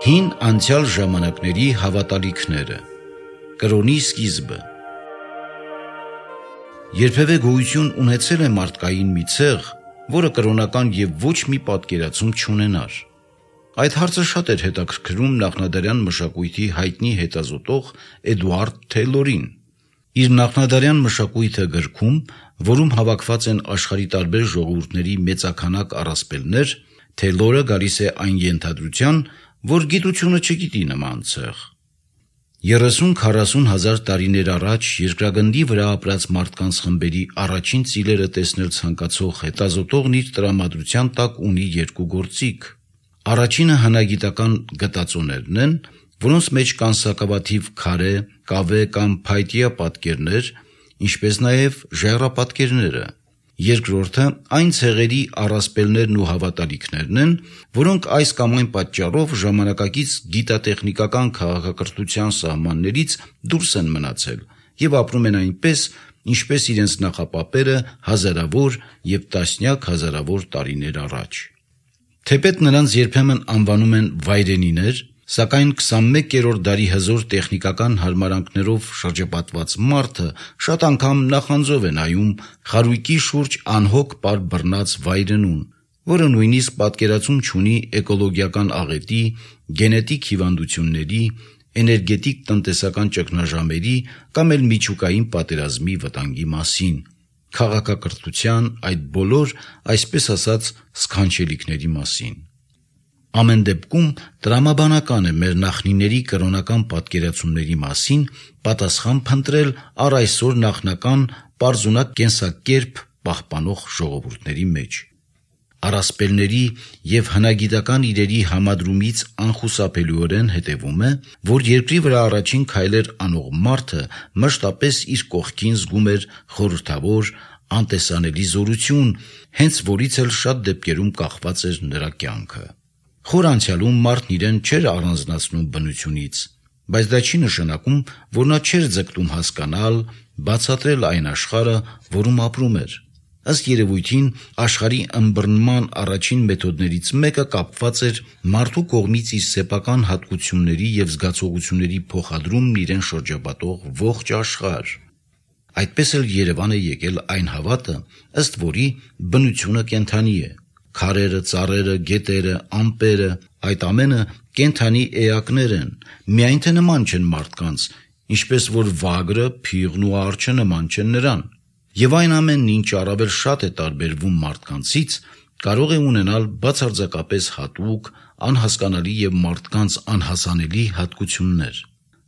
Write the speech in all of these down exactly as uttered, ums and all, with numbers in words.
Հին անցյալ ժամանակների հավատալիքները, կրոնի սկիզբը։ Երբևէ գոյություն ունեցել է մարդկային մի ցեղ, որը կրոնական եւ ոչ մի պատկերացում չունենար։ Այդ հարցը շատ էր հետաքրքրում նախնադարյան մշակույթի հայտնի հետազոտող Էդուարդ Թեյլորին։ Իր նախնադարյան մշակույթը գրքում, որում հավաքված են աշխարհի տարբեր ժողովուրդների մեծաքանակ առասպելներ, Թեյլորը գալիս է այն ենթադրության, որ գիտությունը չգիտի նման ցեղ։ երեսուն-քառասուն հազար տարիներ առաջ երկրագնդի վրա ապրած մարդկանց խմբերի առաջին ծիլերը տեսնել ցանկացող հետազոտողն իր տրամադրության տակ ունի երկու գործիք։ Առաջինը հնագիտական գտածոներն են, որոնց մեջ կան սակավաթիվ քարե, կավե կամ փայտյա պատկերներ, ինչպես նաև ժայռապատկերները։ Երկրորդը այն ցեղերի առասպելներն ու հավատալիքներն են, որոնք այս կամ այն պատճառով ժամանակակից գիտատեխնիկական քաղաքակրթության սահմաններից դուրս են մնացել եւ ապրում են այնպես, ինչպես իրենց նախապապերը հազարավոր եւ տասնյակ հազարավոր տարիներ առաջ։ Թեպետ նրանց երբեմն անվանում են վայրենիներ, սակայն քսանմեկերորդ դարի հզոր տեխնիկական հարմարանքներով շրջապատված մարդը շատ անգամ նախանձով է նայում խարույկի շուրջ անհոգ պար բռնած վայրենուն, որը նույնիսկ պատկերացում չունի էկոլոգիական աղետի, գենետիկ հիվանդությունների, էներգետիկ տնտեսական ճգնաժամերի կամ էլ միջուկային պատերազմի վտանգի մասին, քաղաքակրթության այդ բոլոր, այսպես ասած, սքանչելիքների մասին։ Ամեն դեպքում տրամաբանական է մեր նախնիների կրոնական պատկերացումների մասին պատասխան փնտրել առ այսօր նախնական պարզունակ կենսակերպ պահպանող ժողովուրդների մեջ։ Առասպելների եւ հնագիտական իրերի համադրումից անխուսափելիորեն հետևում է, որ երկրի վրա առաջին քայլեր անող մարդը մշտապես իր կողքին զգում էր խորհրդավոր, անտեսանելի զորություն, հենց որից էլ շատ դեպքերում կախված էր նրա կյանքը։ Խոր անցյալում մարդն իրեն չէր առանձնացնում բնությունից, բայց դա չի նշանակում, որ նա չէր ձգտում հասկանալ, բացատրել այն աշխարհը, որում ապրում էր։ Ըստ երևույթին, աշխարհի ըմբռնման առաջին մեթոդներից մեկը կապված էր մարդու կողմից իր սեփական հատկությունների եւ զգացողությունների փոխադրումն իրեն շրջապատող ողջ աշխարհ։ Այդպես էլ Երևան է եկել այն հավատը, ըստ որի բնությունը կենդանի է։ Քարերը, ծառերը, գետերը, ամպերը, այդ ամենը կենդանի էակներ են, միայն թե նման չեն մարդկանց, ինչպես որ վագրը, փիղն ու արջը նման չեն նրան։ Եվ այն ամենն, ինչ առավել շատ է տարբերվում մարդկանցից, կարող է ունենալ բացարձակապես հատուկ, անհասկանալի եւ մարդկանց անհասանելի հատկություններ։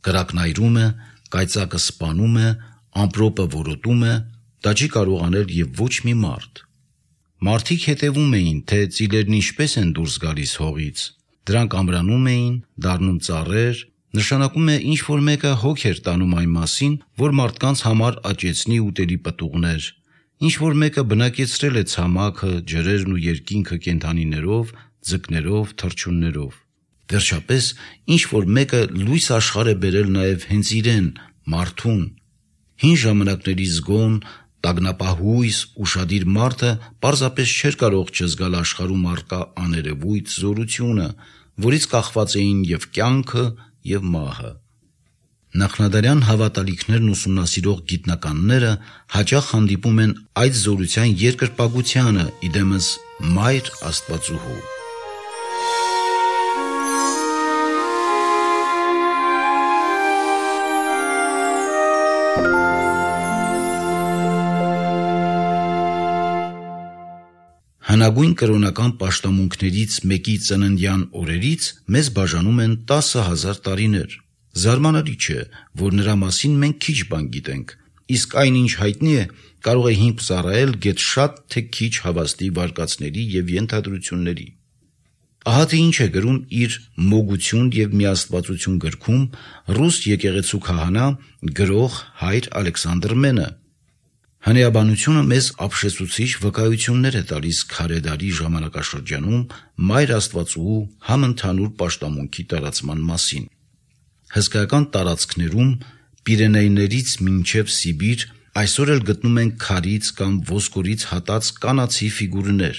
Կրակն այրում է, կայծակը սպանում է, ամպրոպը որոտում է, դա չի կարող անել եւ ոչ մի մարդ։ Մարդիկ հետևում էին, թե ծիլերն ինչպես են դուրս գալիս հողից։ Դրանք ամրանում էին, դառնում ծառեր, նշանակում է ինչ որ մեկը հոգ էր տանում այն մասին, որ մարդկանց համար աճեցնի ուտելի պտուղներ, ինչ որ մեկը բնակեցրել է ցամաքը, ջրերն ու երկինքը կենդանիներով, ձկներով, թռչուններով։ Վերջապես, ինչ որ մեկը լույս աշխարհ է բերել նաև հենց իրեն, մարդուն։ Հին ժամանակների զգոն, տագնապահույս, ուշադիր մարդը պարզապես չէր կարող չզգալ աշխարհում առկա աներևույթ զորությունը, որից կախված էին եւ կյանքը, եւ մահը։ Նախնադարյան հավատալիքներն ուսումնասիրող գիտնականները հաճախ հանդիպում են այդ զորության երկրպագությանը իդեմս Մայր Աստվածուհու։ Հնագույն կրոնական պաշտամունքներից մեկի ծննդյան օրերից մեզ բաժանում են տասը հազար տարիներ։ Զարմանալի չէ, որ նրա մասին մենք քիչ բան գիտենք, իսկ այն ինչ հայտնի է, կարող է հիմք ծառայել գեթ շատ թե քիչ հավաստի վարկածների եւ ենթադրությունների։ Ահա թե ինչ է գրում իր «Մոգություն եւ միաստվածություն» գրքում ռուս եկեղեցու քահանա գրող Հայր Ալեքսանդր Մենը։ Հնեաբանությունը մեզ ապշեցուցիչ վկայություններ է տալիս քարեդարի ժամանակաշրջանում Մայր Աստվածուհու համընդհանուր պաշտամունքի տարածման մասին։ Հսկայական տարածքներում Պիրենեյներից մինչև Սիբիր այսօր էլ գտնում ենք քարից կամ ոսկորից հատած կանացի ֆիգուրներ։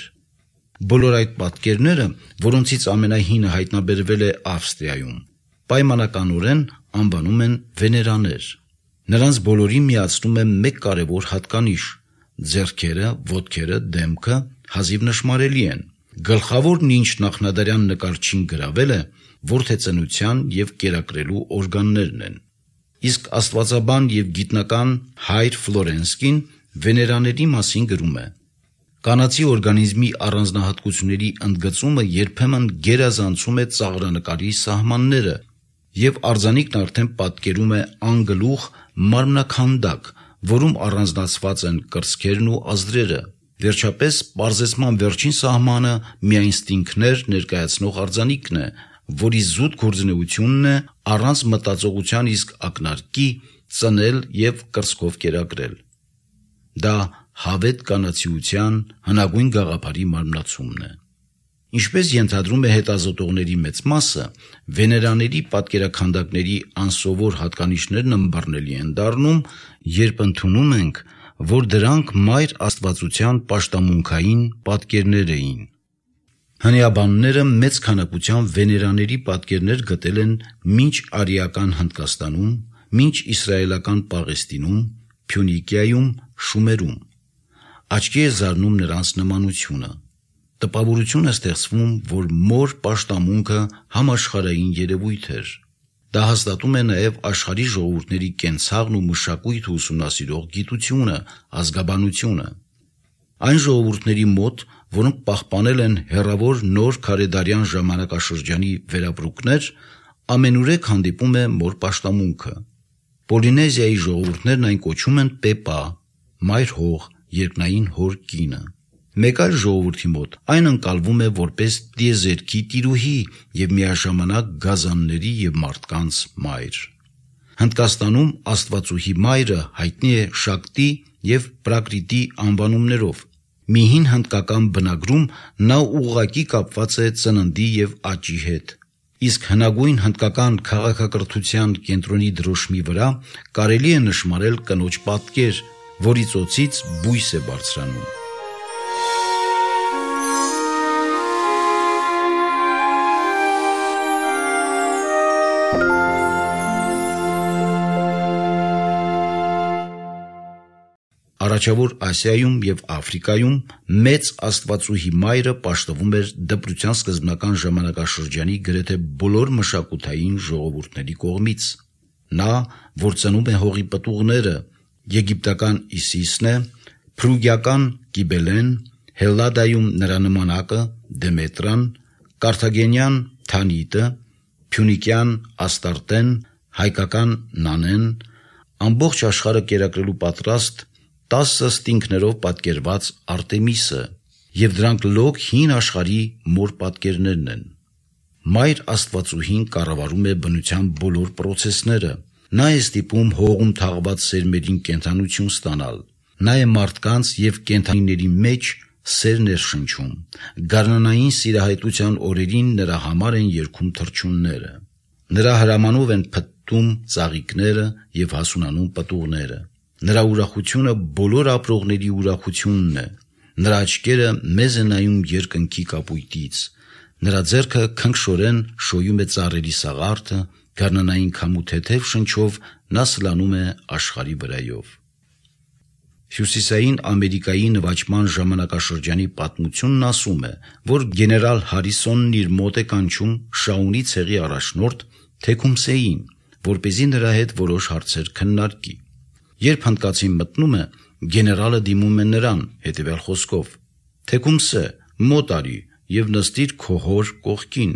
Բոլոր այդ պատկերները, որոնցից ամենահինը հայտնաբերվել է Ավստրիայում, պայմանականորեն անվանում են վեներաներ։ Նրանց բոլորին միացնում է մեկ կարևոր հատկանիշ՝ ձեռքերը, ոտքերը, դեմքը հազիվ նշմարելի են։ Գլխավորն, ինչ նախնադարյան նկարչին գրավել է, որդեծնության և կերակրելու օրգաններն են։ Իսկ աստվածաբան և գիտնական Հայր Ֆլորենսկին վեներաների մասին գրում է. «Կանացի օրգանիզմի առանձնահատկությունների ընդգծումը երբեմն գերազանցում է ծաղրանկարի սահմանները, և արձանիկն արդեն պատկերում է անգլուխ մարմնաքանդակ, որում առանձնացված են կրծքերն ու ազդրերը։ Վերջապես, պարզեցման վերջին սահմանը միայնստինքտներ ներկայացնող արձանիկն է, որի զուտ գործունեությունն է առանց մտածողության իսկ ակնարկի ծնել և կրծքով կերակրել։ Դա հավետ կանացիության հնագույն գաղափարի մարմնացումն է»։ Ինչպես ենթադրում է հետազոտողների մեծ մասը, վեներաների պատկերաքանդակների անսովոր հատկանիշներն ըմբռնելի են դառնում, երբ ընդունում ենք, որ դրանք մայր աստվածության պաշտամունքային պատկերներ էին։ Հնեաբանները մեծ քանակությամբ վեներաների պատկերներ գտել են մինչ արիական Հնդկաստանում, մինչ իսրայելական Պաղեստինում, Փյունիկիայում, Շումերում։ Աչքի է զարնում նրանց նմանությունը։ Տպավորություն է ստեղծվում, որ մոր պաշտամունքը համաշխարհային երևույթ էր։ Դա հաստատում է նաև աշխարհի ժողովուրդների կենցաղն ու մշակույթը ուսումնասիրող գիտությունը, ազգաբանությունը։ Այն ժողովուրդների մոտ, որոնք պահպանել են հեռավոր նոր քարեդարյան ժամանակաշրջանի վերապրուկներ, ամենուրեք հանդիպում է մոր պաշտամունքը։ Պոլինեզիայի ժողովուրդներն այն կոչում են Պեպա, մայր հող, երկնային հոր կինը։ Մեկ այլ ժողովրդի մոտ այն ընկալվում է որպես տիեզերքի տիրուհի և միաժամանակ գազանների և մարդկանց մայր։ Հնդկաստանում աստվածուհի մայրը հայտնի է Շակտի և Պրակրիտի անվանումներով։ Մի հին հնդկական բնագրում նա ուղղակի կապված է ծննդի և աճի հետ։ Իսկ հնագույն հնդկական քաղաքակրթության կենտրոնի դրոշմի վրա կարելի է նշմարել կնոջ պատկեր, որի ծոցից բույս է բարձրանում։ Առաջավոր Ասիայում և Աֆրիկայում մեծ աստվածուհի մայրը պաշտվում էր դպրության սկզբնական ժամանակաշրջանի գրեթե բոլոր մշակութային ժողովուրդների կողմից։ Նա, որ ծնում է հողի պտուղները, եգիպտական Իսիսն է, փրուգիական Կիբելեն, Հելլադայում նրա նմանակը Դեմետրան, կարթագենյան Թանիտը, փյունիկյան Աստարտեն, հայկական Նանեն, ամբողջ աշխարհը կերակրելու պատրաստ տասը ստինքներով պատկերված Արտեմիսը, և դրանք լոկ հին աշխարհի մոր պատկերներն են։ Մայր աստվածուհին կառավարում է բնության բոլոր պրոցեսները։ Նա է ստիպում հողում թաղված սերմերին կենդանություն ստանալ։ Նա է մարդկանց և կենդանիների մեջ սեր ներշնչում։ Գարնանային սիրահայտության օրերին նրա համար են երգում թռչունները։ Նրա հրամանով են փտտում ծաղիկները և հասունանում պտուղները։ Նրա ուրախությունը բոլոր ապրողների ուրախությունն է։ Նրա աչքերը մեզ են նայում երկնքի կապույտից։ Նրա ձեռքը քնքշորեն շոյում է ծառերի սաղարթը, գարնանային քամու թեթև շնչով նա սլանում է աշխարհի վրայով։ Հյուսիսային Ամերիկայի նվաճման ժամանակաշրջանի պատմությունն ասում է, որ գեներալ Հարիսոնն իր մոտ է կանչում Շաունի ցեղի առաջնորդ Թեքումսեին, որպեսզի նրա հետ որոշ հարցեր քննարկի։ Երբ հնդկացին մտնում է, գեներալը դիմում է նրան հետևյալ խոսքով. «Թեքումսե, մոտ արի և նստիր քո հոր կողքին»։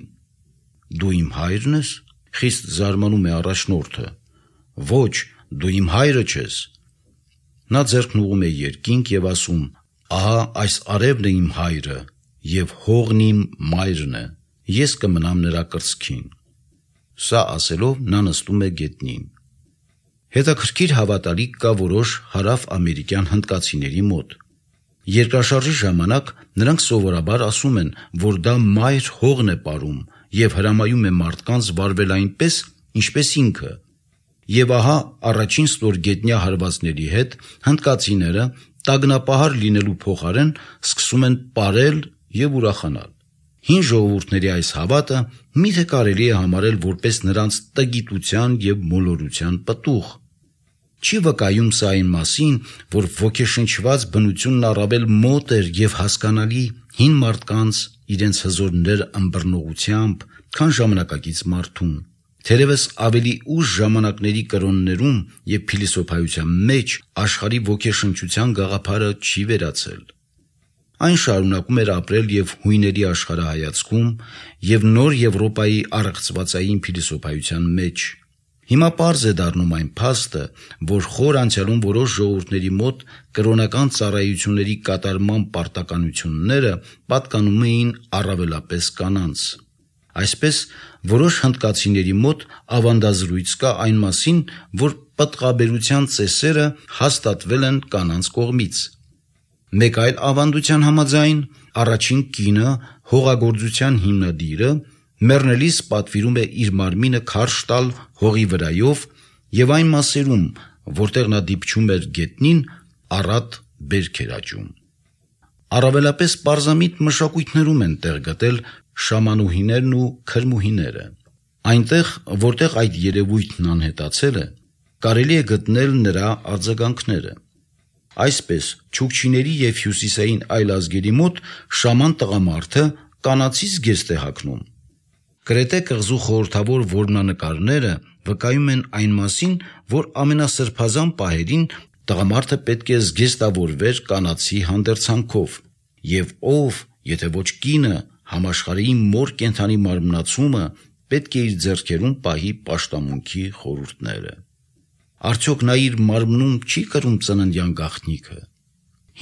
«Դու իմ հայրն ես»։ Խիստ զարմանում է առաջնորդը։ «Ոչ, դու իմ հայրը չես»։ Նա ձեռքն ուղղում է երկինք և ասում. «Ահա այս արևն է իմ հայրը, և հողն իմ մայրն է, ես կմնամ նրա կրծքին»։ Սա ասելով նա նստում է գետնին։ Հետաքրքիր հավատալիք կա որոշ հարավ-ամերիկյան հնդկացիների մոտ։ Երկրաշարժի ժամանակ նրանք սովորաբար ասում են, որ դա մայր հողն է պարում և հրամայում է մարդկանց վարվել այնպես, ինչպես ինքը։ Եվ ահա առաջին ստորգետնյա հարվածների հետ հնդկացիները տագնապահար լինելու փոխարեն սկսում են պարել եւ ուրախանալ։ Հին ժողովուրդների այս հավատը միթե կարելի է համարել որպես նրանց տգիտության եւ մոլորության պտուղ։ Չի վկայում սա այն մասին, որ ոգեշնչված բնությունն առավել մոտ էր եւ հասկանալի հին մարդկանց իրենց հզորներ ըմբռնողությամբ, քան ժամանակակից մարդուն։ Թերևս ավելի ուշ ժամանակների կրոններում եւ փիլիսոփայության մեջ աշխարհի ոգեշնչության գաղափարը չի վերացել։ Այն շարունակում էր ապրել եւ հույների աշխարհայացքում եւ նոր Եվրոպայի առեղծվածային փիլիսոփայության մեջ։ Հիմա պարզ է դառնում այն փաստը, որ խոր անցյալում որոշ ժողովուրդների մոտ կրոնական ծառայությունների կատարման պարտականությունները պատկանում էին առավելապես կանանց։ Այսպես, որոշ հնդկացիների մոտ ավանդազրույց կա այն մասին, որ պտղաբերության ծեսերը հաստատվել են կանանց կողմից։ Մեկ այլ ավանդության համաձայն առաջին կինը, հողագործության հիմնադիրը, մեռնելիս պատվիրում է իր մարմինը քարշ տալ հողի վրայով եւ այն մասերում, որտեղ նա դիպչում էր գետնին, առատ բերք էր աճում։ Առավելապես պարզամիտ մշակույթներում են տեղ գտել շամանուհիներն ու քրմուհիները։ Այնտեղ, որտեղ այդ երևույթն անհետացել է, կարելի է գտնել նրա արձագանքները։ Այսպես, չուկչիների եւ հյուսիսային այլ ազգերի մոտ շաման տղամարդը կանացից գեստ է հագնում։ Կրետե կղզու խորհրդավոր որմնանկարները վկայում են այն մասին, որ ամենասրբազան պահերին տղամարդը պետք է զգեստավորվեր կանացի հանդերձանքով, եւ ով, եթե ոչ կինը, համաշխարհի մոր կենդանի մարմնացումը պետք է իր ձեռքերում պահի պաշտամունքի խորհուրդները։ Արդյոք նա իր մարմնում չի կրում ծննդյան գաղտնիքը։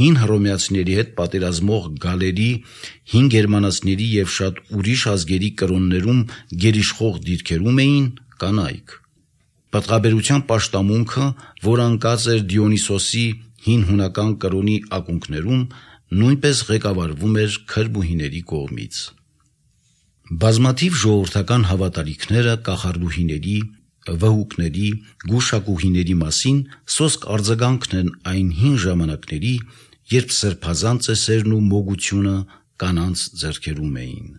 Հին հռոմեացիների հետ պատերազմող գալերի, հին գերմանացիների եւ շատ ուրիշ ազգերի կրոններում գերիշխող դիրքերում էին կանայք։ Պտղաբերության պաշտամունքը, որ անկած էր Դիոնիսոսի հին հունական կրոնի ակունքներում, նույնպես ղեկավարվում էր քրմուհիների կողմից։ Բազմաթիվ ժողովրդական հավատալիքները կախարդուհիների, վհուկների, գուշակուհիների մասին սոսկ արձագանքն են այն հին ժամանակների, երբ սրբազան ծեսերն ու մոգությունը կանանց ձեռքերում էին։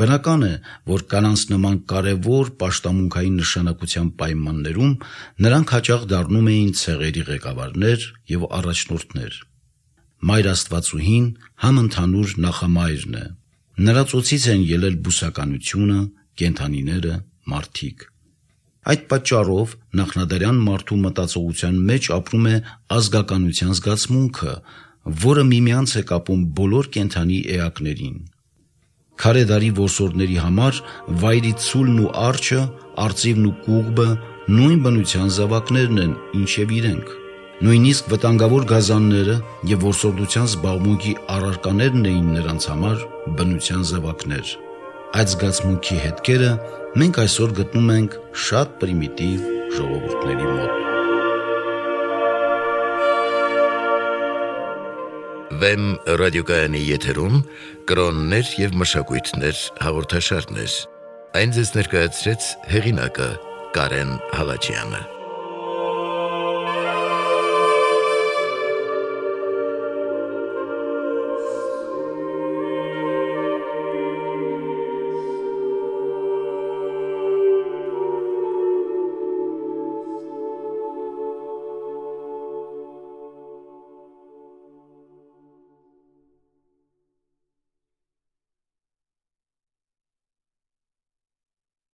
Բնական է, որ կանանց նման կարևոր պաշտամունքային նշանակության պայմաններում նրանք հաճախ դառնում էին ցեղերի ղեկավարներ եւ առաջնորդներ։ Մայր Աստվածուհին համընդհանուր նախամայրն է։ Նրա ծոցից են ելել բուսականությունը, կենդանիները, մարդիկ։ Այդ պատճառով նախնադարյան մարդու մտածողության մեջ ապրում է ազգականության զգացմունքը, որը միմյանց է կապում բոլոր կենդանի էակներին։ Քարե դարի որսորդների համար վայրի ցուլն ու արջը, արծիվն ու կուղբը նույն բնության զավակներն են, ինչև իրենք։ Նույնիսկ վտանգավոր գազանները եւ որսորդության զբաղմունքի առարկաներն էին նրանց համար բնության զավակներ։ Այդ զգացմունքի հետքերը մենք այսօր գտնում ենք շատ պրիմիտիվ ժողովուրդների մոտ։ Վեմ ռադիոկայանի եթերում կրոններ եւ մշակույթներ հաղորդաշարներ։ Այն ձեզ ներկայացրեց հեղինակը Կարեն Հալաջյանը։